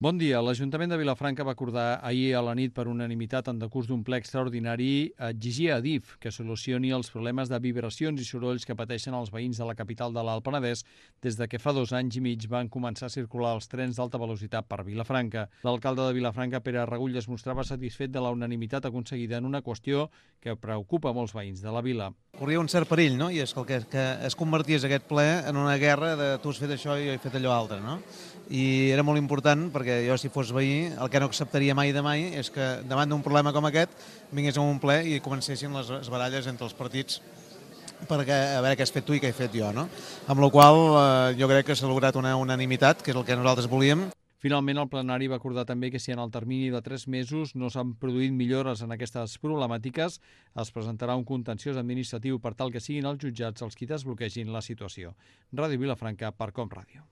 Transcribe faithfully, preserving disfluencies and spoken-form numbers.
Bon dia. L'Ajuntament de Vilafranca va acordar ahir a la nit per unanimitat en decurs d'un ple extraordinari exigir a Adif que solucioni els problemes de vibracions i sorolls que pateixen els veïns de la capital de l'Alt Penedès des de que fa dos anys i mig van començar a circular els trens d'alta velocitat per Vilafranca. L'alcalde de Vilafranca, Pere Regull, es mostrava satisfet de la unanimitat aconseguida en una qüestió que preocupa molts veïns de la vila. Corria un cert perill, no? I és que, el que, que es convertís aquest ple en una guerra de tu has fet això i jo he fet allò altre, no? I era molt important perquè jo, si fos veí, el que no acceptaria mai de mai és que davant d'un problema com aquest vingués a un ple i comencessin les, les baralles entre els partits perquè a veure què has fet tu i què he fet jo, no? Amb la qual eh, jo crec que s'ha lograt una unanimitat, que és el que nosaltres volíem. Finalment, el plenari va acordar també que si en el termini de tres mesos no s'han produït millores en aquestes problemàtiques, es presentarà un contenciós administratiu per tal que siguin els jutjats els qui desbloquegin la situació. Ràdio Vilafranca per Com Ràdio.